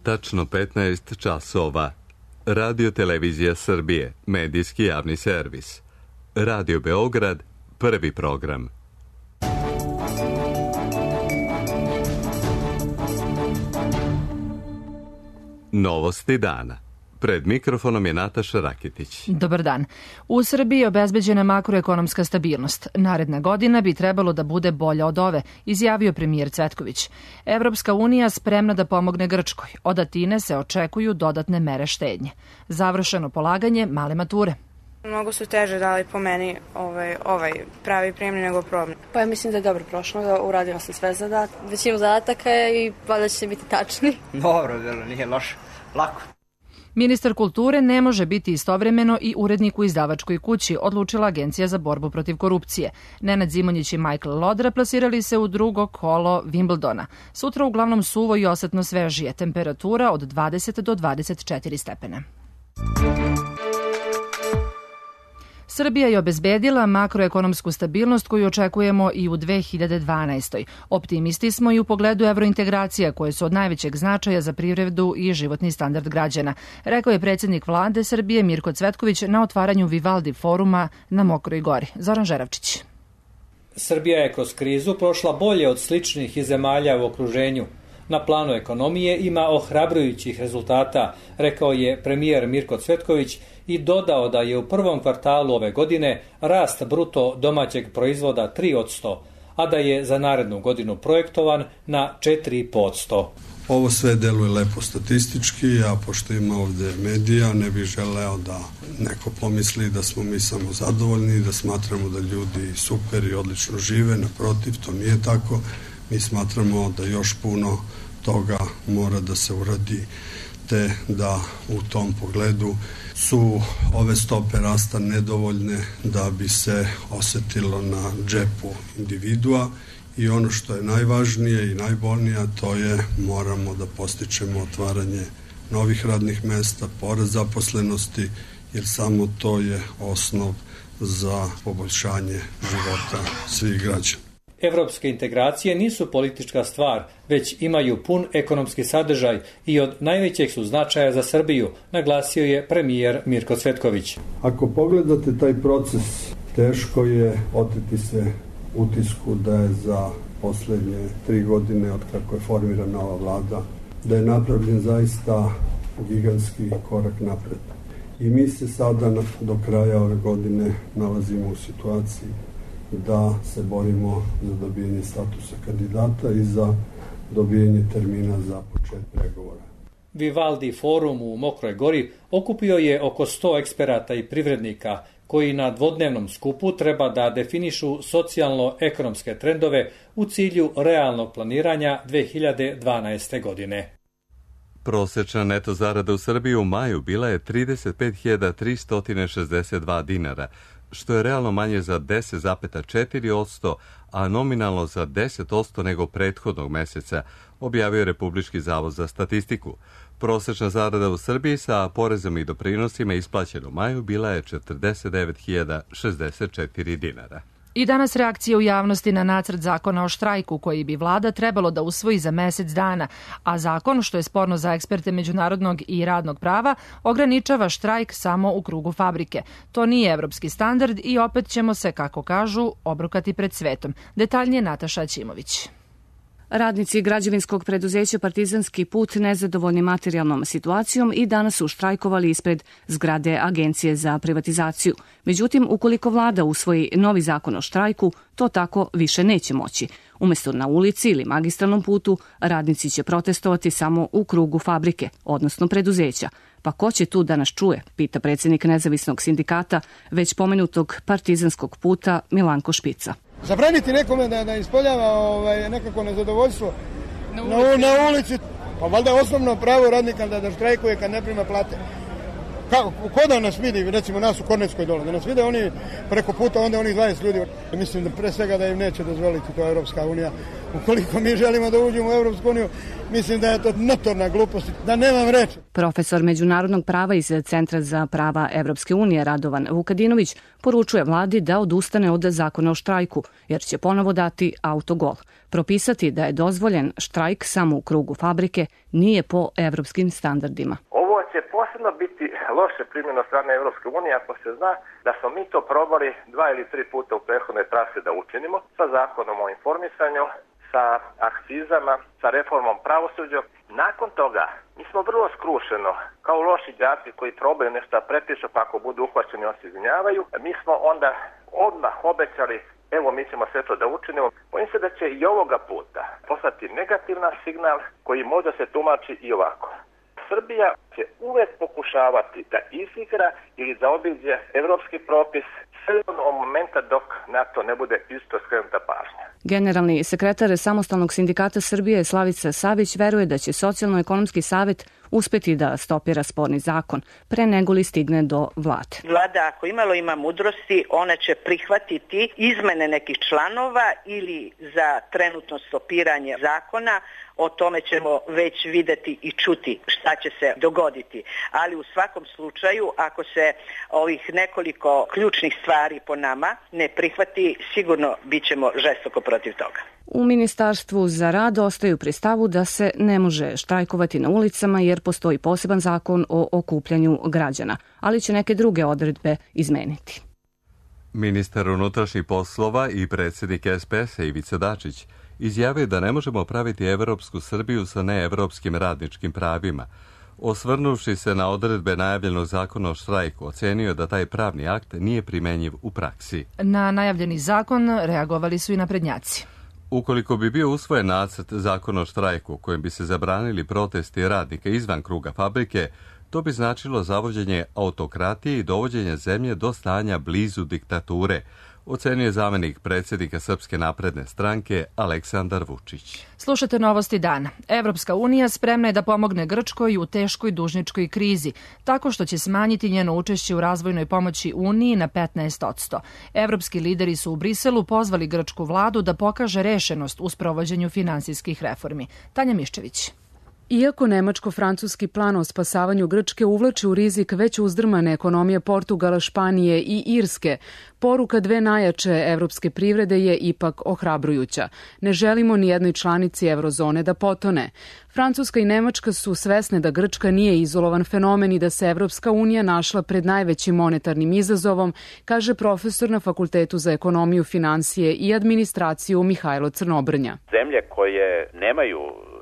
tačno 15 časova. Radio Televizija Srbije, medijski javni servis. Radio Beograd, prvi program. Novosti dana. Pred mikrofonom je Nataša Rakitić. Dobar dan. U Srbiji je obezbeđena makroekonomska stabilnost. Naredna godina bi trebalo da bude bolja od ove, izjavio premijer Cvetković. Evropska unija spremna da pomogne Grčkoj. Od Atine se očekuju dodatne mere štednje. Završeno polaganje male mature. Mnogo su teže dali po meni ovaj pravi prijemni nego probni. Pa ja mislim da je dobro prošlo, uradila sam sve zadatke. Većinu zadataka je i valjda će biti tačni. Dobro, nije loše, lako. Ministar kulture ne može biti istovremeno i urednik u izdavačkoj kući, odlučila Agencija za borbu protiv korupcije. Nenad Zimonjić i Michael Lodra plasirali se u drugo kolo Wimbledona. Sutra uglavnom suvo i osetno svežije, temperatura od 20 do 24 stepena. Srbija je obezbedila makroekonomsku stabilnost koju očekujemo i u 2012. Optimisti smo i u pogledu evrointegracija koje su od najvećeg značaja za privredu i životni standard građana, rekao je predsjednik vlade Srbije Mirko Cvetković na otvaranju Vivaldi foruma na Mokroj Gori. Zoran Žeravčić. Srbija je kroz krizu prošla bolje od sličnih zemalja u okruženju. Na planu ekonomije ima ohrabrujućih rezultata, rekao je premijer Mirko Cvetković i dodao da je u prvom kvartalu ove godine rast bruto domaćeg proizvoda 3%, a da je za narednu godinu projektovan na 4%. Ovo sve deluje lepo statistički, a pošto ima ovde medija, ne bih želeo da neko pomisli da smo mi samo zadovoljni, da smatramo da ljudi super i odlično žive, naprotiv, to nije tako. Mi smatramo da još puno toga mora da se uradi, te da u tom pogledu su ove stope rasta nedovoljne da bi se osetilo na džepu individua i ono što je najvažnije i najbolnije, to je moramo da postičemo otvaranje novih radnih mesta, porast zaposlenosti, jer samo to je osnov za poboljšanje života svih građana. Evropske integracije nisu politička stvar, već imaju pun ekonomski sadržaj i od najvećeg su značaja za Srbiju, naglasio je premijer Mirko Cvetković. Ako pogledate taj proces, teško je oteti se utisku da je za poslednje 3 godine od kako je formirana ova vlada, da je napravljen zaista gigantski korak napred. I mi se sada do kraja ove godine nalazimo u situaciji da se borimo za dobijanje statusa kandidata i za dobijanje termina za početak pregovora. Vivaldi forum u Mokroj Gori okupio je oko 100 eksperata i privrednika koji na dvodnevnom skupu treba da definišu socijalno-ekonomske trendove u cilju realnog planiranja 2012. godine. Prosečna neto zarada u Srbiji u maju bila je 35.362 dinara, što je realno manje za 10,4%, a nominalno za 10% nego prethodnog meseca, objavio Republički zavod za statistiku. Prosečna zarada u Srbiji sa porezom i doprinosima isplaćena u maju bila je 49.064 dinara. I danas reakcije u javnosti na nacrt zakona o štrajku koji bi vlada trebalo da usvoji za mesec dana, a zakon, što je sporno za eksperte međunarodnog i radnog prava, ograničava štrajk samo u krugu fabrike. To nije evropski standard i opet ćemo se, kako kažu, obrukati pred svetom. Detaljnije Nataša Aćimović. Radnici građevinskog preduzeća Partizanski put nezadovoljni materijalnom situacijom i danas su štrajkovali ispred zgrade Agencije za privatizaciju. Međutim, ukoliko vlada usvoji novi zakon o štrajku, to tako više neće moći. Umesto na ulici ili magistralnom putu, radnici će protestovati samo u krugu fabrike, odnosno preduzeća. Pa ko će tu da nas čuje, pita predsjednik nezavisnog sindikata, već pomenutog Partizanskog puta Milanko Špica. Zabraniti nekome da ispoljava nekako nezadovoljstvo na ulici, pa valjda je osnovno pravo radnika da štrajkuje kad ne prima plate. Ko da nas vidi, recimo nas u Kornetskoj dole, da nas vide oni preko puta, onda onih 20 ljudi. Mislim da pre svega da im neće dozvoliti to Evropska unija. Ukoliko mi želimo da uđemo u Evropsku uniju, mislim da je to notorna glupost, da nemam reči. Profesor međunarodnog prava iz Centra za prava Evropske unije Radovan Vukadinović poručuje vladi da odustane od zakona o štrajku, jer će ponovo dati autogol. Propisati da je dozvoljen štrajk samo u krugu fabrike nije po evropskim standardima. Ovo će posebno biti loše primljeno od strane Evropske unije ako se zna da smo mi to probali 2 ili 3 puta u prethodnoj trasi da učinimo sa zakonom o informisanju, sa akcizama, sa reformom pravosuđa. Nakon toga mi smo vrlo skrušeno, kao loši đaci koji probaju nešto da prepišu pa ako budu uhvaćeni on se izvinjavaju. Mi smo onda odmah obećali evo mi ćemo sve to da učinimo. Bojim se da će i ovoga puta poslati negativan signal koji možda se tumači i ovako. Srbija će uvek pokušavati da izigra ili da obiđe evropski propis sve od momenta dok na to ne bude isto skrenuta pažnja. Generalni sekretar Samostalnog sindikata Srbije Slavica Savić veruje da će Socijalno-ekonomski savet uspeti da stopira sporni zakon pre nego li stigne do vlade. Vlada ako imalo ima mudrosti, ona će prihvatiti izmene nekih članova ili za trenutno stopiranje zakona. O tome ćemo već videti i čuti šta će se dogoditi. Ali u svakom slučaju, ako se ovih nekoliko ključnih stvari po nama ne prihvati, sigurno bit ćemo žestoko protiv toga. U Ministarstvu za rad ostaju pri stavu da se ne može štrajkovati na ulicama jer postoji poseban zakon o okupljanju građana, ali će neke druge odredbe izmeniti. Ministar unutrašnjih poslova i predsjednik SPS-a Ivica Dačić izjavio da ne možemo praviti evropsku Srbiju sa neevropskim radničkim pravima. Osvrnuvši se na odredbe najavljenog zakona o štrajku, ocenio da taj pravni akt nije primenjiv u praksi. Na najavljeni zakon reagovali su i naprednjaci. Ukoliko bi bio usvojen nacrt zakona o štrajku kojim bi se zabranili protesti radnika izvan kruga fabrike, to bi značilo zavođenje autokratije i dovođenje zemlje do stanja blizu diktature, ocenio je zamenik predsjednika Srpske napredne stranke Aleksandar Vučić. Slušate novosti dana. Evropska unija spremna je da pomogne Grčkoj u teškoj dužničkoj krizi, tako što će smanjiti njeno učešće u razvojnoj pomoći Uniji na 15%. Evropski lideri su u Briselu pozvali grčku vladu da pokaže rešenost u sprovođenju finansijskih reformi. Tanja Miščević. Iako nemačko-francuski plan o spasavanju Grčke uvlači u rizik već uzdrmane ekonomije Portugala, Španije i Irske, poruka dve najjače evropske privrede je ipak ohrabrujuća. Ne želimo ni jednoj članici eurozone da potone. Francuska i Nemačka su svesne da Grčka nije izolovan fenomen i da se Evropska unija našla pred najvećim monetarnim izazovom, kaže profesor na Fakultetu za ekonomiju, finansije i administraciju Mihajlo Crnobrnja. Zemlje koje nemaju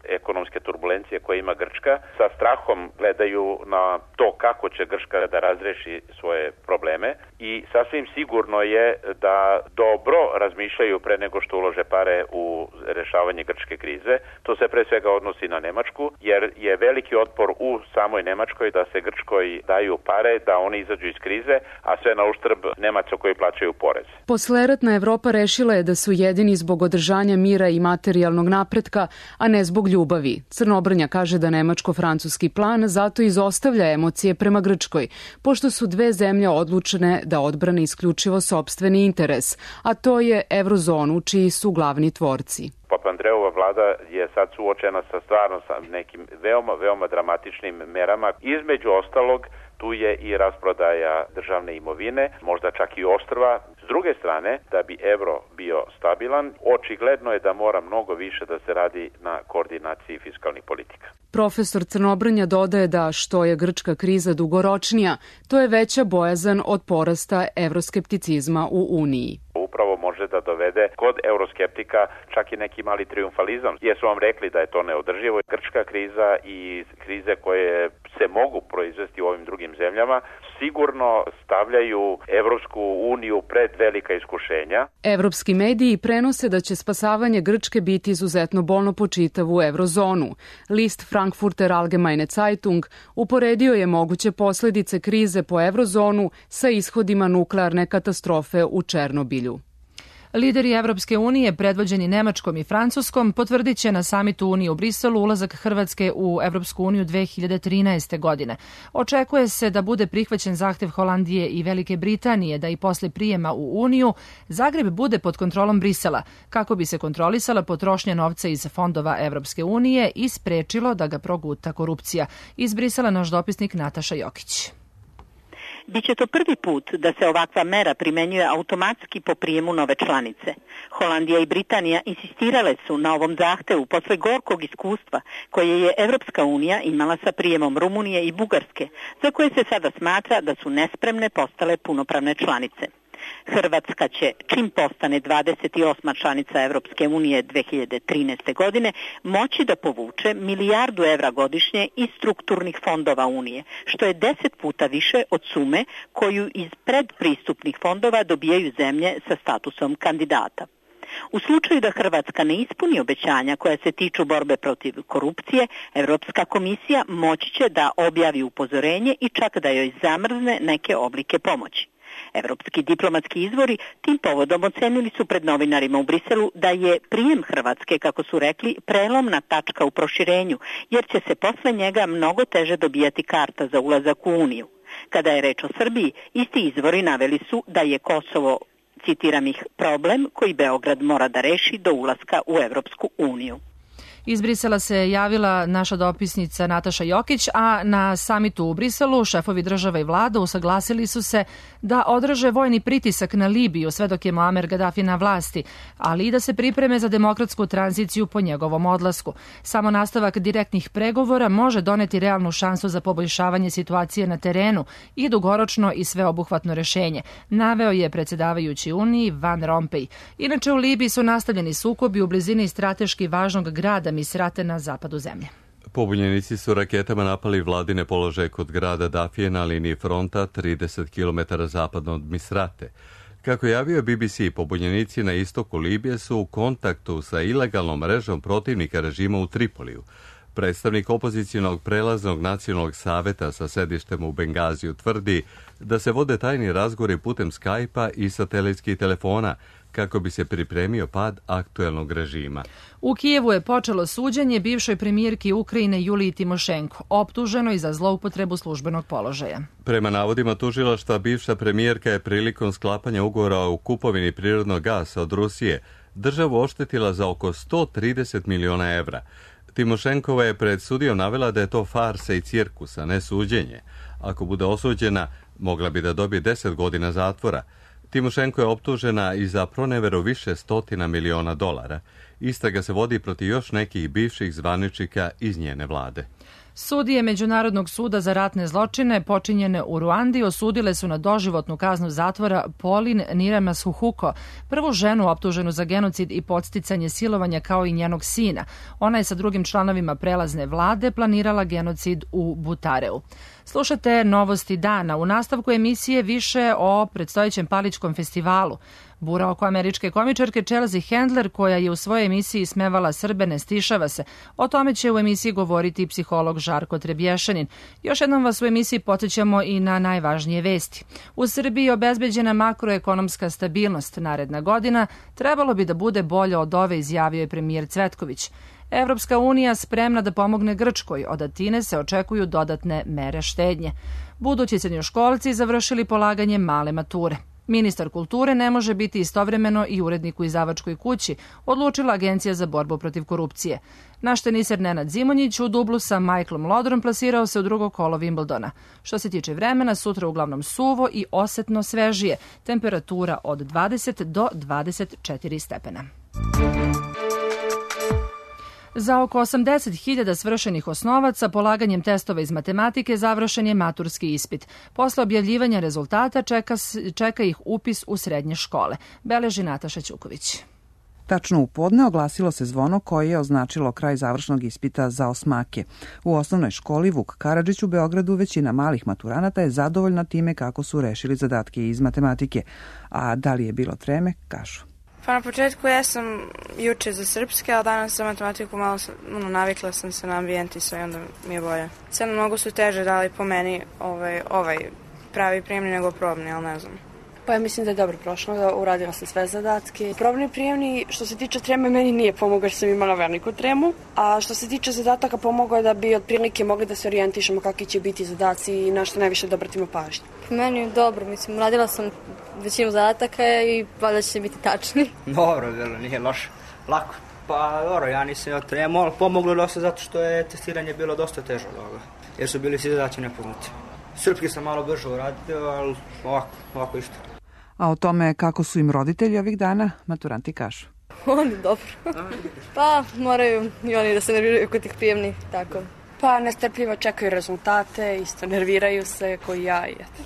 ekonomske turbulencije koje ima Grčka, sa strahom gledaju na to kako će Grčka da razreši svoje probleme i sasvim sigurno je da dobro razmišljaju pre nego što ulože pare u rešavanje grčke krize. To se pre svega odnosi na Nemačku, jer je veliki otpor u samoj Nemačkoj da se Grčkoj daju pare, da oni izađu iz krize, a sve na uštrb Nemaca koji plaćaju porez. Posleratna Evropa rešila je da su jedini zbog održanja mira i materijalnog napretka, a ne zbog ljubavi. Crnobrnja kaže da nemačko-francuski plan zato izostavlja emocije prema Grčkoj, pošto su dve zemlje odlučene da odbrane isključivo sopstveni interes, a to je eurozonu čiji su glavni tvorci. Papandreova vlada je sad suočena sa stvarno sa nekim veoma dramatičnim merama. Između ostalog, tu je i rasprodaja državne imovine, možda čak i ostrva. S druge strane, da bi evro bio stabilan, očigledno je da mora mnogo više da se radi na koordinaciji fiskalnih politika. Profesor Crnobrnja dodaje da što je grčka kriza dugoročnija, to je veća bojazan od porasta evroskepticizma u Uniji. Upravo može da dovede kod euroskeptika čak i neki mali triumfalizam. Jesu vam rekli da je to neodrživo. Grčka kriza i krize koje se mogu proizvesti u ovim drugim zemljama sigurno stavljaju Evropsku uniju pred velika iskušenja. Evropski mediji prenose da će spasavanje Grčke biti izuzetno bolno po čitavu eurozonu. List Frankfurter Allgemeine Zeitung uporedio je moguće posledice krize po eurozonu sa ishodima nuklearne katastrofe u Černobilju. Lideri Evropske unije, predvođeni Nemačkom i Francuskom, potvrdit će na samitu Unije u Briselu ulazak Hrvatske u Evropsku uniju 2013. godine. Očekuje se da bude prihvaćen zahtev Holandije i Velike Britanije da i posle prijema u Uniju Zagreb bude pod kontrolom Brisela, kako bi se kontrolisala potrošnja novca iz fondova Evropske unije i sprečilo da ga proguta korupcija. Iz Brisela naš dopisnik Nataša Jokić. Biće to prvi put da se ovakva mera primenjuje automatski po prijemu nove članice. Holandija i Britanija insistirale su na ovom zahtevu posle gorkog iskustva koje je Evropska unija imala sa prijemom Rumunije i Bugarske, za koje se sada smatra da su nespremne postale punopravne članice. Hrvatska će, čim postane 28. članica Evropske unije 2013. godine, moći da povuče €1 milijardu godišnje iz strukturnih fondova Unije, što je 10 puta više od sume koju iz predpristupnih fondova dobijaju zemlje sa statusom kandidata. U slučaju da Hrvatska ne ispuni obećanja koja se tiču borbe protiv korupcije, Evropska komisija moći će da objavi upozorenje i čak da joj zamrzne neke oblike pomoći. Evropski diplomatski izvori tim povodom ocenili su pred novinarima u Briselu da je prijem Hrvatske, kako su rekli, prelomna tačka u proširenju, jer će se posle njega mnogo teže dobijati karta za ulazak u Uniju. Kada je reč o Srbiji, isti izvori naveli su da je Kosovo, citiram ih, problem koji Beograd mora da reši do ulaska u Evropsku uniju. Iz Brisela se javila naša dopisnica Nataša Jokić, a na samitu u Briselu šefovi država i vlada usaglasili su se da odraže vojni pritisak na Libiju sve dok je Muamer Gaddafi na vlasti, ali i da se pripreme za demokratsku tranziciju po njegovom odlasku. Samo nastavak direktnih pregovora može doneti realnu šansu za poboljšavanje situacije na terenu i dugoročno i sveobuhvatno rešenje, naveo je predsjedavajući Uniji Van Rompuy. Inače, u Libiji su nastavljeni sukobi u blizini strateški važnog grada Misrate na zapadu zemlje. Pobunjenici su raketama napali vladine položaje kod grada Dafije na liniji fronta 30 km zapadno od Misrate. Kako je javio BBC, pobunjenici na istoku Libije su u kontaktu sa ilegalnom mrežom protivnika režima u Tripoliju. Predstavnik opozicionog prelaznog nacionalnog saveta sa sedištem u Bengaziju tvrdi da se vode tajni razgovori putem Skype-a i satelitskih telefona kako bi se pripremio pad aktuelnog režima. U Kijevu je počelo suđenje bivšoj premijerki Ukrajine Juliji Timošenko, optuženoj za zloupotrebu službenog položaja. Prema navodima tužilaštva, bivša premijerka je prilikom sklapanja ugovora o kupovini prirodnog gasa od Rusije državu oštetila za oko 130 miliona evra. Timošenkova je pred sudijom navela da je to farsa i cirkus, a ne suđenje. Ako bude osuđena, mogla bi da dobije 10 godina zatvora. Timošenko je optužena i za proneveru više stotina miliona dolara. Istraga se vodi protiv još nekih bivših zvaničnika iz njene vlade. Sudije Međunarodnog suda za ratne zločine počinjene u Ruandi osudile su na doživotnu kaznu zatvora Polin Niramasuhuko, prvu ženu optuženu za genocid i podsticanje silovanja kao i njenog sina. Ona je sa drugim članovima prelazne vlade planirala genocid u Butareu. Slušate novosti dana. U nastavku emisije više o predstojećem Paličkom festivalu. Bura oko američke komičarke Chelsea Handler, koja je u svojoj emisiji smevala Srbe, ne stišava se. O tome će u emisiji govoriti psiholog Žarko Trebješanin. Još jednom vas u emisiji podsjećamo i na najvažnije vesti. U Srbiji je obezbeđena makroekonomska stabilnost. Naredna godina trebalo bi da bude bolja od ove, izjavio je premijer Cvetković. Evropska unija spremna da pomogne Grčkoj. Od Atine se očekuju dodatne mere štednje. Budući srednjoškolci završili polaganje male mature. Ministar kulture ne može biti istovremeno i urednik u izdavačkoj kući, odlučila Agencija za borbu protiv korupcije. Naš teniser Nenad Zimonjić u dublu sa Michaelom Lodrom plasirao se u drugo kolo Wimbledona. Što se tiče vremena, sutra uglavnom suvo i osetno svežije. Temperatura od 20 do 24 stepena. Za oko 80.000 svršenih osnovaca polaganjem testova iz matematike završen je maturski ispit. Posle objavljivanja rezultata čeka ih upis u srednje škole. Beleži Nataša Ćuković. Tačno u podne oglasilo se zvono koje je označilo kraj završnog ispita za osmake. U osnovnoj školi Vuk Karadžić u Beogradu većina malih maturanata je zadovoljna time kako su rešili zadatke iz matematike. A da li je bilo treme, kažu. Pa na početku ja sam juče za srpske, a danas za matematiku malo navikla sam se na ambijent i sve, onda mi je bolje. Sad mnogo su teže dali po meni ovaj pravi prijemni nego probni, ali ne znam. Pa ja mislim da je dobro prošlo, uradila sam sve zadatke. Probni prijemni, što se tiče treme, meni nije pomogao jer sam imala veliku tremu, a što se tiče zadataka pomogao je da bi otprilike mogli da se orijentišemo kakvi će biti zadaci i na što najviše da obratimo pažnju. Meni je dobro, mislim, uradila sam većinu zadataka i valjda će biti tačni. Dobro, nije loše, lako. Pa dobro, ja nisam imao tremu, ali pomoglo dosta zato što je testiranje bilo dosta teže od ovoga, jer su bili svi zadaci nepoznati. Srpski sam malo brže uradio, ali ovako isto. A o tome kako su im roditelji ovih dana, maturanti kažu. Oni dobro. Pa moraju i oni da se nerviraju kod tih prijemnih, tako. Pa nestrpljivo čekaju rezultate, isto nerviraju se koji ja i eto.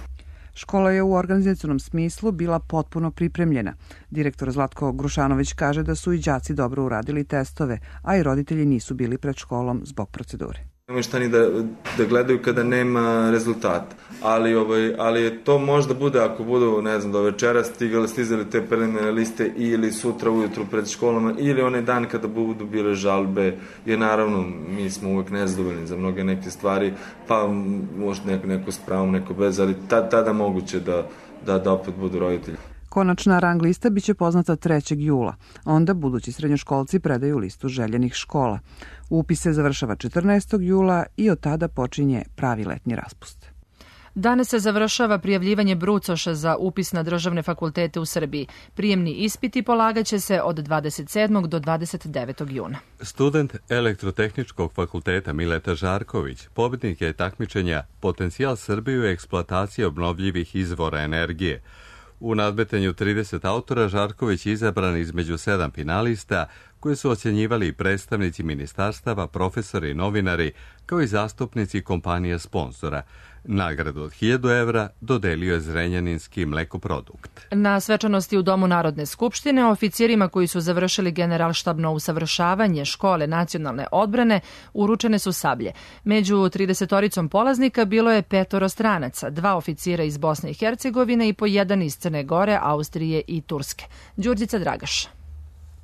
Škola je u organizacionom smislu bila potpuno pripremljena. Direktor Zlatko Grušanović kaže da su i đaci dobro uradili testove, a i roditelji nisu bili pred školom zbog procedure. Nemoj šta ni da gledaju kada nema rezultata, ali to možda bude ako budu, ne znam, do večera stizali te preliminarne liste ili sutra ujutru pred školama ili onaj dan kada budu bile žalbe, jer naravno mi smo uvek nezadovoljni za mnoge neke stvari, pa možda neko s pravom, neko bez, ali tada moguće da opet budu roditelji. Konačna rang lista biće poznata 3. jula. Onda budući srednjoškolci predaju listu željenih škola. Upis se završava 14. jula i od tada počinje pravi letnji raspust. Danas se završava prijavljivanje brucoša za upis na državne fakultete u Srbiji. Prijemni ispiti polagaće se od 27. do 29. juna. Student Elektrotehničkog fakulteta Mileta Žarković pobednik je takmičenja Potencijal Srbije u eksploataciji obnovljivih izvora energije. U nadmetanju 30 autora Žarković je izabran između 7 finalista koje su ocjenjivali predstavnici ministarstava, profesori i novinari, kao i zastupnici kompanija sponzora. Nagradu od 1000 evra dodelio je Zrenjaninski mlekoprodukt. Na svečanosti u Domu Narodne skupštine oficirima koji su završili generalštabno usavršavanje škole nacionalne odbrane uručene su sablje. Među 30-oricom polaznika bilo je 5 stranaca, 2 oficira iz Bosne i Hercegovine i po 1 iz Crne Gore, Austrije i Turske. Đurđica Dragaš.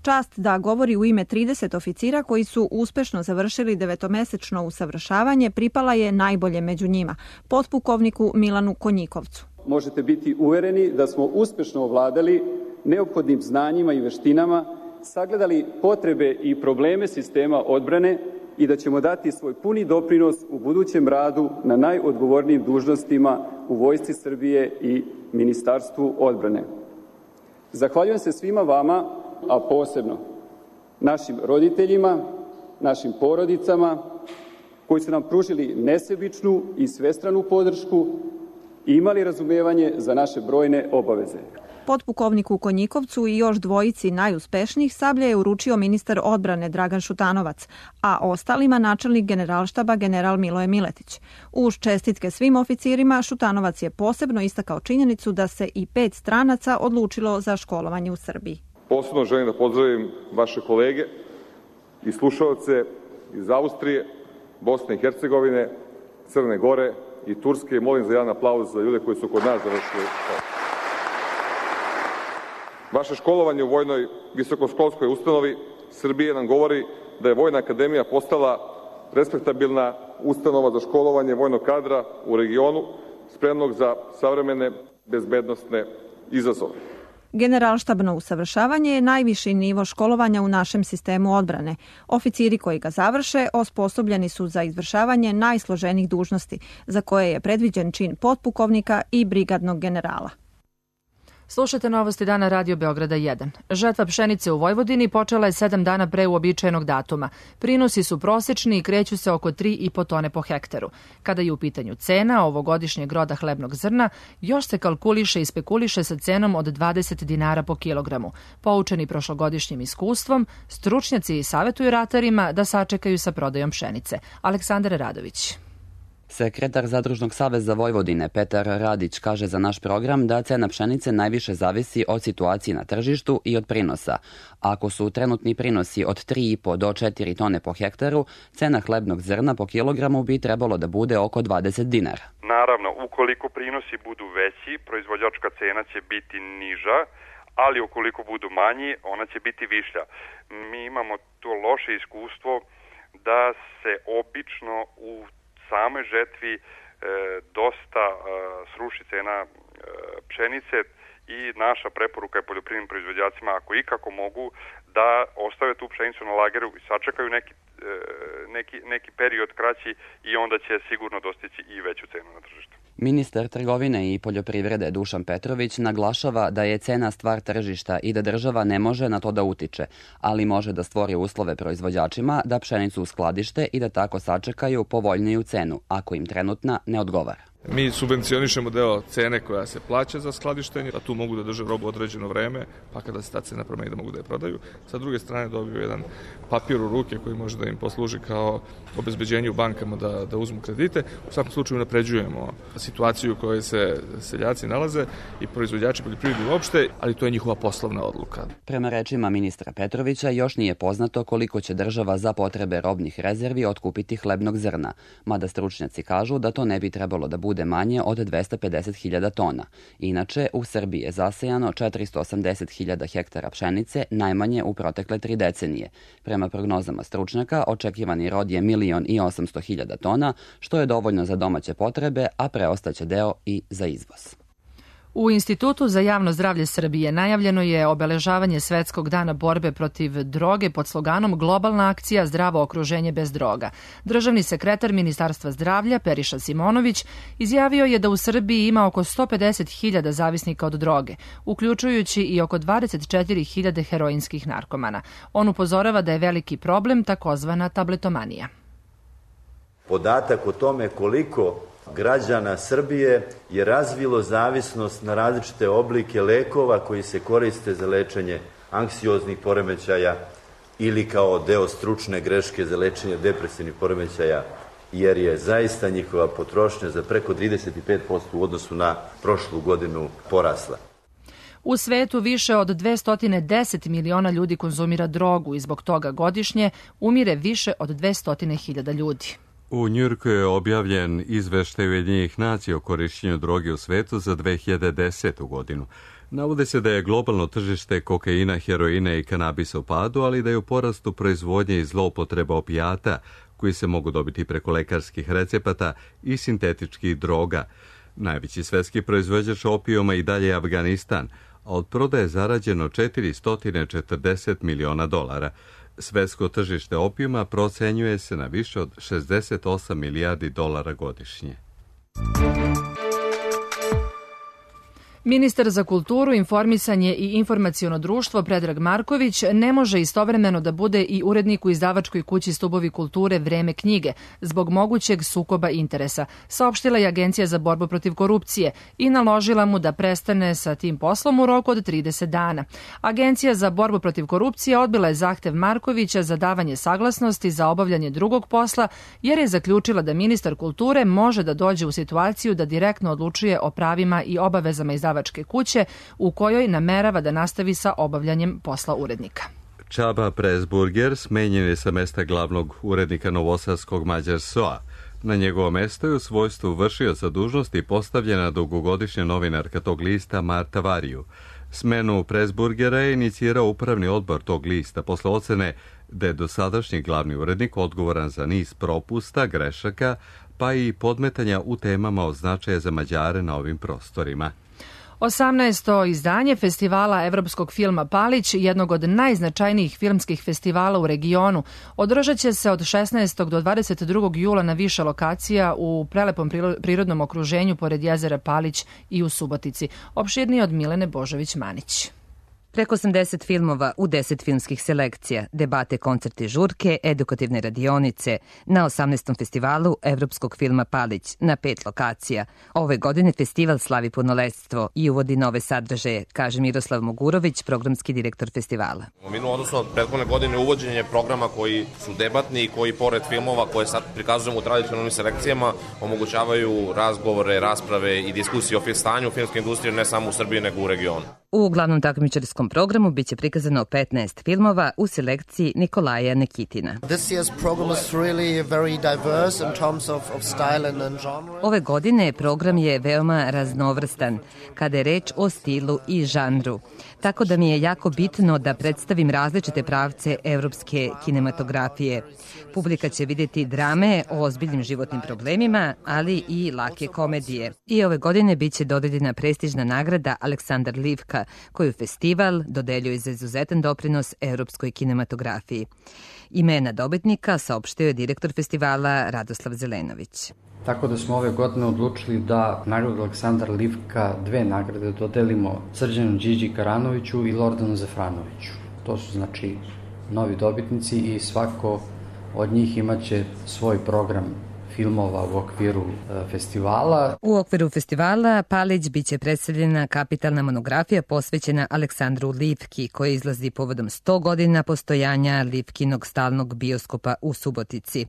Čast da govori u ime 30 oficira koji su uspešno završili 9-mesečno usavršavanje pripala je najbolje među njima, potpukovniku Milanu Konjikovcu. Možete biti uvereni da smo uspešno ovladali neophodnim znanjima i veštinama, sagledali potrebe i probleme sistema odbrane i da ćemo dati svoj puni doprinos u budućem radu na najodgovornijim dužnostima u Vojsci Srbije i Ministarstvu odbrane. Zahvaljujem se svima vama, a posebno našim roditeljima, našim porodicama, koji su nam pružili nesebičnu i svestranu podršku i imali razumevanje za naše brojne obaveze. Potpukovniku Konjikovcu i još dvojici najuspešnijih sablje je uručio ministar odbrane Dragan Šutanovac, a ostalima načelnik generalštaba general Miloje Miletić. Uz čestitke svim oficirima, Šutanovac je posebno istakao činjenicu da se i 5 stranaca odlučilo za školovanje u Srbiji. Posebno želim da pozdravim vaše kolege i slušalce iz Austrije, Bosne i Hercegovine, Crne Gore i Turske i molim za jedan aplauz za ljude koji su kod nas završili školu. Vaše školovanje u vojnoj visokoškolskoj ustanovi Srbije nam govori da je Vojna akademija postala respektabilna ustanova za školovanje vojnog kadra u regionu, spremnog za savremene bezbednosne izazove. Generalštabno usavršavanje je najviši nivo školovanja u našem sistemu odbrane. Oficiri koji ga završe osposobljeni su za izvršavanje najsloženijih dužnosti, za koje je predviđen čin potpukovnika i brigadnog generala. Slušajte novosti dana Radio Beograda 1. Žetva pšenice u Vojvodini počela je 7 dana pre uobičajenog datuma. Prinosi su prosečni i kreću se oko 3,5 tone po hektaru. Kada je u pitanju cena ovogodišnjeg roda hlebnog zrna, još se kalkuliše i spekuliše sa cenom od 20 dinara po kilogramu. Poučeni prošlogodišnjim iskustvom, stručnjaci savjetuju ratarima da sačekaju sa prodajom pšenice. Aleksandar Radović. Sekretar Zadružnog saveza Vojvodine Petar Radić kaže za naš program da cena pšenice najviše zavisi od situacije na tržištu i od prinosa. Ako su trenutni prinosi od 3,5 do 4 tone po hektaru, cena hlebnog zrna po kilogramu bi trebalo da bude oko 20 dinara. Naravno, ukoliko prinosi budu veći, proizvođačka cena će biti niža, ali ukoliko budu manji, ona će biti višlja. Mi imamo to loše iskustvo da se obično u samoj žetvi dosta sruši cena pšenice i naša preporuka je poljoprivrednim proizvođacima, ako ikako mogu, da ostave tu pšenicu na lageru i sačekaju neki period kraći i onda će sigurno dostići i veću cenu na tržištu. Ministar trgovine i poljoprivrede Dušan Petrović naglašava da je cena stvar tržišta i da država ne može na to da utiče, ali može da stvori uslove proizvođačima da pšenicu uskladište i da tako sačekaju povoljniju cenu, ako im trenutna ne odgovara. Mi subvencionišemo deo cene koja se plaća za skladištenje, a tu mogu da drže robu određeno vreme, pa kada se ta cena promeni da mogu da je prodaju. Sa druge strane dobiju jedan papir u ruke koji može da im posluži kao obezbeđenje u bankama da uzmu kredite. U svakom slučaju napređujemo situaciju u kojoj se seljaci nalaze i proizvođači poljoprivrede uopšte, ali to je njihova poslovna odluka. Prema rečima ministra Petrovića, još nije poznato koliko će država za potrebe robnih rezervi otkupiti hlebnog zrna, mada stručnjaci kažu da to ne bi trebalo da bude manje od 250.000 tona. Inače, u Srbiji je zasejano 480.000 hektara pšenice, najmanje u protekle 3 decenije. Prema prognozama stručnjaka, očekivani rod je 1.800.000 tona, što je dovoljno za domaće potrebe, a preostaće deo i za izvoz. U Institutu za javno zdravlje Srbije najavljeno je obeležavanje Svetskog dana borbe protiv droge pod sloganom Globalna akcija zdravo okruženje bez droga. Državni sekretar Ministarstva zdravlja Periša Simonović izjavio je da u Srbiji ima oko 150.000 zavisnika od droge, uključujući i oko 24.000 heroinskih narkomana. On upozorava da je veliki problem takozvana tabletomanija. Podatak o tome koliko građana Srbije je razvilo zavisnost na različite oblike lekova koji se koriste za lečenje anksioznih poremećaja ili kao deo stručne greške za lečenje depresivnih poremećaja, jer je zaista njihova potrošnja za preko 35% u odnosu na prošlu godinu porasla. U svetu više od 210 miliona ljudi konzumira drogu i zbog toga godišnje umire više od 200.000 ljudi. U Njujorku je objavljen izveštaj Ujedinjenih nacija o korišćenju droge u svetu za 2010. godinu. Navode se da je globalno tržište kokaina, heroina i kanabisa u padu, ali da je u porastu proizvodnje i zloupotreba opijata, koji se mogu dobiti preko lekarskih recepata i sintetičkih droga. Najveći svetski proizvođač opijuma i dalje je Afganistan, a od prodaje zarađeno $440 miliona. Svetsko tržište opijuma procenjuje se na više od $68 milijardi godišnje. Ministar za kulturu, informisanje i informaciono društvo Predrag Marković ne može istovremeno da bude i urednik u izdavačkoj kući Stubovi kulture Vreme knjige zbog mogućeg sukoba interesa, saopštila je Agencija za borbu protiv korupcije i naložila mu da prestane sa tim poslom u roku od 30 dana. Agencija za borbu protiv korupcije odbila je zahtev Markovića za davanje saglasnosti za obavljanje drugog posla, jer je zaključila da ministar kulture može da dođe u situaciju da direktno odlučuje o pravima i obavezama izdavačke kuće u kojoj namerava da nastavi sa obavljanjem posla urednika. Čaba Presburger smenjen je sa mesta glavnog urednika novosadskog Mađar SOA. Na njegovo mesto je u svojstvu vršioca dužnosti postavljena dugogodišnja novinarka tog lista Marta Variju. Smenu Presburgera je inicirao upravni odbor tog lista posle ocene da je dosadašnji glavni urednik odgovoran za niz propusta, grešaka, pa i podmetanja u temama od značaja za Mađare na ovim prostorima. 18. izdanje festivala evropskog filma Palić, jednog od najznačajnijih filmskih festivala u regionu, održat će se od 16. do 22. jula na više lokacija u prelepom prirodnom okruženju pored jezera Palić i u Subotici. Opširnije od Milene Božović-Manić. Preko 80 filmova u 10 filmskih selekcija, debate, koncerti, žurke, edukativne radionice na 18. festivalu Evropskog filma Palić na 5 lokacija. Ove godine festival slavi punoletstvo i uvodi nove sadržaje, kaže Miroslav Mogurović, programski direktor festivala. U odnosu od prethodne godine uvođenje programa koji su debatni i koji pored filmova koje sad prikazujemo u tradicionalnim selekcijama omogućavaju razgovore, rasprave i diskusije o stanju filmske industrije ne samo u Srbiji nego u regionu. U glavnom takmičarskom programu biće prikazano 15 filmova u selekciji Nikolaja Nekitina. Ove godine program je veoma raznovrstan kada je reč o stilu i žanru, tako da mi je jako bitno da predstavim različite pravce evropske kinematografije. Publika će vidjeti drame o ozbiljnim životnim problemima, ali i lake komedije. I ove godine biće dodeljena prestižna nagrada Aleksandar Livka, koju festival dodeljuje za izuzetan doprinos evropskoj kinematografiji. Imena dobitnika saopštio je direktor festivala Radoslav Zelenović. Tako da smo ove godine odlučili da nagradu Aleksandar Livka 2 nagrade dodelimo Srđanu Điđi Karanoviću i Lordanu Zafranoviću. To su znači novi dobitnici i svako od njih imaće svoj program filmova u okviru festivala. U okviru festivala Palić biće predstavljena kapitalna monografija posvećena Aleksandru Livki, koja izlazi povodom 100 godina postojanja Livkinog stalnog bioskopa u Subotici.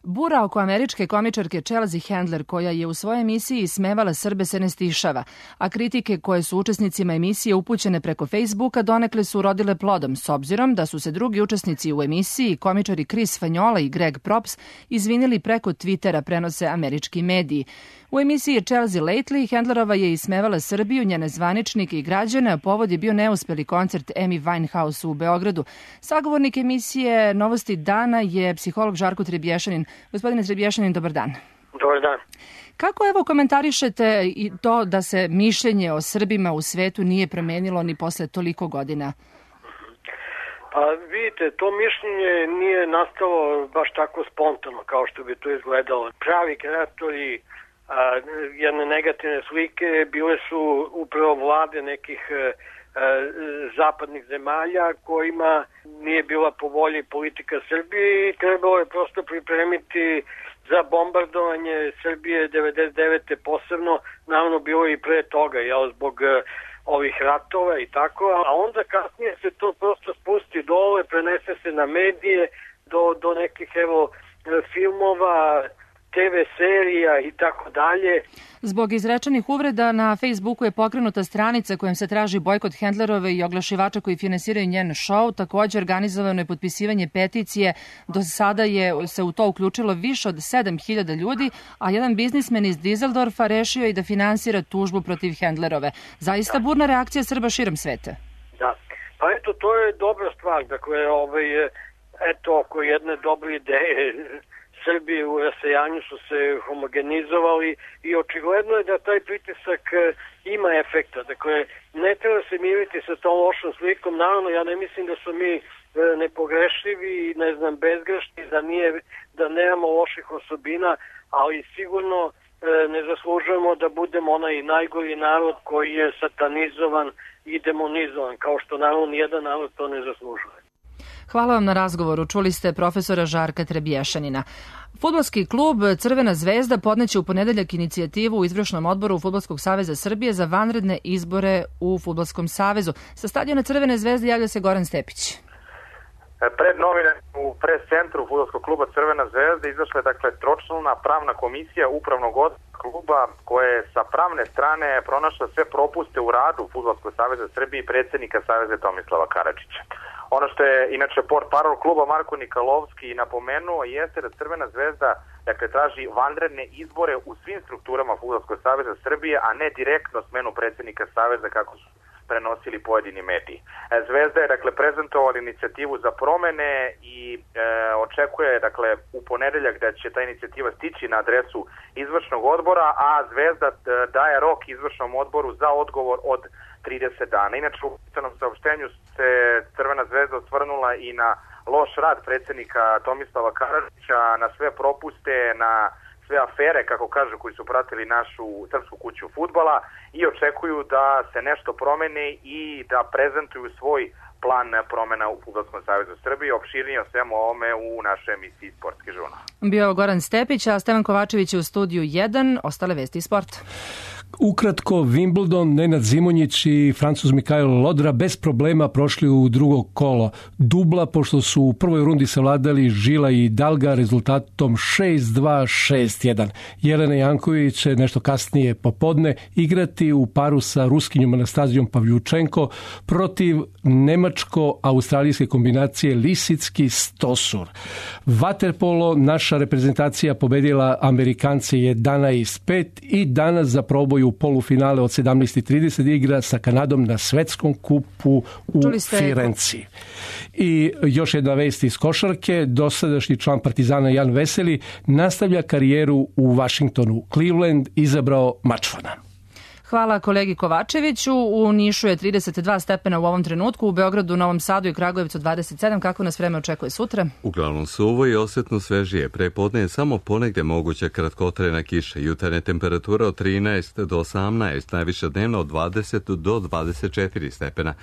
Bura oko američke komičarke Chelsea Handler, koja je u svojoj emisiji ismevala Srbe, se ne stišava, a kritike koje su učesnicima emisije upućene preko Facebooka donekle su urodile plodom, s obzirom da su se drugi učesnici u emisiji, komičari Chris Fanjola i Greg Props, izvinili preko Twittera, prenose američki mediji. U emisiji Chelsea Lately Handlerova je ismevala Srbiju, njene zvaničnike i građane, a povod je bio neuspeli koncert Amy Winehouse u Beogradu. Sagovornik emisije Novosti dana je psiholog Žarko Trebješanin. Gospodine Trebješanin, dobar dan. Dobar dan. Kako evo komentarišete i to da se mišljenje o Srbima u svetu nije promenilo ni posle toliko godina? Pa vidite, to mišljenje nije nastalo baš tako spontano kao što bi to izgledalo. Pravi kreatori jedne negativne slike bile su upravo vlade nekih zapadnih zemalja kojima nije bila po volji politika Srbije i trebalo je prosto pripremiti za bombardovanje Srbije 99. posebno, naravno bilo i pre toga, zbog ovih ratova i tako, a onda kasnije se to prosto spusti dole, prenese se na medije do nekih filmova, TV serija i tako dalje. Zbog izrečenih uvreda na Facebooku je pokrenuta stranica kojom se traži bojkot Handlerove i oglašivača koji finansiraju njen show. Također organizovano je potpisivanje peticije. Do sada je se u to uključilo više od 7.000 ljudi, a jedan biznismen iz Dizeldorfa rešio i da finansira tužbu protiv Handlerove. Zaista burna reakcija Srba širom sveta. Da, pa eto, to je dobra stvar. Dakle, oko jedne dobre ideje Srbi u rasejanju su se homogenizovali i očigledno je da taj pritisak ima efekta. Dakle, ne treba se miriti sa tom lošom slikom. Naravno, ja ne mislim da su mi nepogrešivi i bezgrešni, da nemamo loših osobina, ali sigurno ne zaslužujemo da budemo onaj najgori narod koji je satanizovan i demonizovan, kao što naravno nijedan narod to ne zaslužuje. Hvala vam na razgovoru. Čuli ste profesora Žarka Trebješanina. Fudbalski klub Crvena zvezda podneće u ponedeljak inicijativu u izvršnom odboru Fudbalskog saveza Srbije za vanredne izbore u Fudbalskom savezu. Sa stadiona Crvene zvezde javlja se Goran Stepić. Pred novine u pres centru Fudbalskog kluba Crvena zvezda izašla je tročlana pravna komisija upravnog odbora kluba koja je sa pravne strane pronašla sve propuste u radu Fudbalskog saveza Srbije i predsjednika Saveza Tomislava Karadžića. Ono što je inače portparol kluba Marko Nikolovski napomenuo jeste da Crvena zvezda traži vanredne izbore u svim strukturama Fudbalskog saveza Srbije, a ne direktno smenu predsjednika Saveza kako su prenosili pojedini mediji. Zvezda je prezentovala inicijativu za promene i očekuje u ponedeljak da će ta inicijativa stići na adresu izvršnog odbora, a Zvezda daje rok izvršnom odboru za odgovor od 30 dana. Inače, u pisanom saopštenju se Crvena zvezda osvrnula i na loš rad predsjednika Tomislava Karadžića, na sve propuste, na sve afere, kako kažu, koji su pratili našu srpsku kuću fudbala i očekuju da se nešto promeni i da prezentuju svoj plan promena u Fudbalskom savezu Srbije. Opširnije o svemu ovome u našoj emisiji Sportski žurnal. Bio Goran Stepić, a Stevan Kovačević je u studiju 1. Ostale vesti i sport. Ukratko, Wimbledon, Nenad Zimonjić i Francuz Mikael Lodra bez problema prošli u drugo kolo dubla, pošto su u prvoj rundi savladali Žila i Dalga rezultatom 6-2, 6-1. Jelena Janković će nešto kasnije popodne igrati u paru sa Ruskinjom Anastazijom Pavljučenko protiv nemačko-australijske kombinacije Lisicki-Stosur. Vaterpolo, naša reprezentacija pobedila Amerikance 11-5 i danas za proboj u polufinale od 17:30 igra sa Kanadom na svetskom kupu u Firenci. I još jedna vest iz košarke, dosadašnji član Partizana Jan Veseli nastavlja karijeru u Vašingtonu. Cleveland izabrao Mačvana. Hvala kolegi Kovačeviću. U Nišu je 32 stepena u ovom trenutku, u Beogradu, Novom Sadu i Kragujevcu 27. Kako nas vreme očekuje sutra? Uglavnom suvo i osjetno svežije. Prepodne je samo ponegde moguća kratkotrajna kiša. Jutarnja temperatura od 13 do 18, najviša dnevna od 20 do 24 stepena.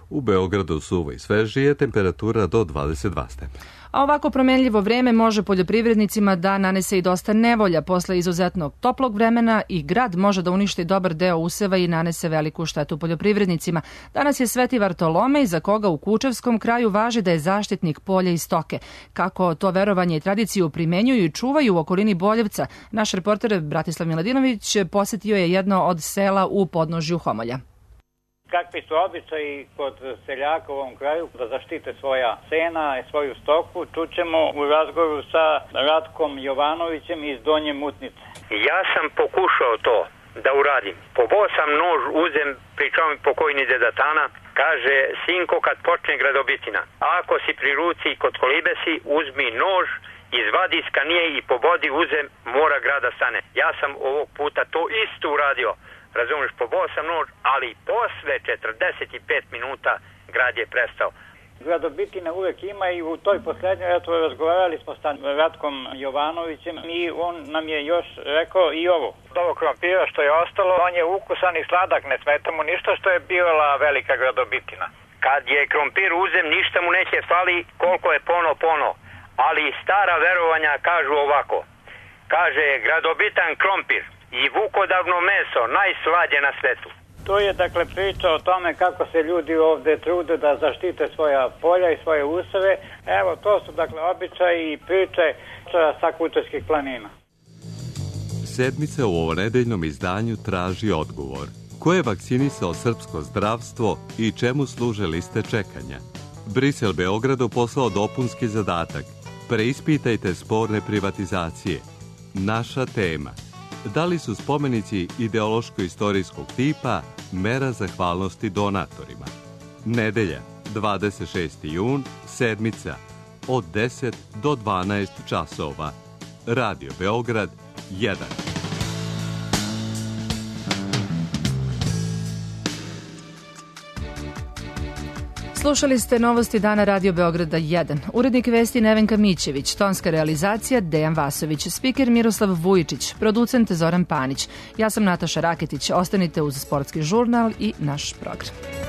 U Beogradu suvo i svežije, temperatura do 22 stepena. A ovako promenljivo vreme može poljoprivrednicima da nanese i dosta nevolja. Posle izuzetnog toplog vremena i grad može da uništi dobar deo useva i nanese veliku štetu poljoprivrednicima. Danas je Sveti Vartolomej, za koga u Kučevskom kraju važi da je zaštitnik polja i stoke. Kako to verovanje i tradiciju primenjuju i čuvaju u okolini Boljevca, naš reporter Bratislav Miladinović posetio je jedno od sela u podnožju Homolja. Kakvi su običaji kod seljaka u ovom kraju da zaštite svoja sena i svoju stoku, čućemo u razgovoru sa Ratkom Jovanovićem iz Donje Mutnice. Ja sam pokušao to da uradim. Pobao sam nož, uzem, pričao mi pokojni deda Tana, kaže, sinko, kad počne gradobitina, ako si pri ruci kod kolibe si, uzmi nož, izvadi iz kanije i pobodi uzem, mora grada stane. Ja sam ovog puta to isto uradio. Razumiješ, pobao sam nož, ali posle 45 minuta grad je prestao. Gradobitina uvek ima i u toj poslednjoj, eto, razgovarali smo sa Ratkom Jovanovićem i on nam je još rekao i ovo. Ovo krompira što je ostalo, on je ukusan i sladak, ne smeta mu ništa što je bila velika gradobitina. Kad je krompir uzem, ništa mu neće fali koliko je pono, ali stara verovanja kažu ovako. Kaže, gradobitan krompir i vukodavno meso, najslađe na svetu. To je dakle priča o tome kako se ljudi ovde trude da zaštite svoja polja i svoje useve. Evo, to su dakle običaji i priče sa Kučevskih planina. Sedmica u ovonedeljnom izdanju traži odgovor. Ko je vakcinisao srpsko zdravstvo i čemu služe liste čekanja? Brisel Beogradu poslao dopunski zadatak. Preispitajte sporne privatizacije. Naša tema. Da li su spomenici ideološko-istorijskog tipa mera zahvalnosti donatorima? Nedelja, 26. jun, sedmica, od 10 do 12 časova. Radio Beograd 1. Slušali ste novosti dana Radio Beograda 1. Urednik vesti Nevenka Mićević, tonska realizacija Dejan Vasović, spiker Miroslav Vujičić, producent Zoran Panić. Ja sam Nataša Raketić. Ostanite uz Sportski žurnal i naš program.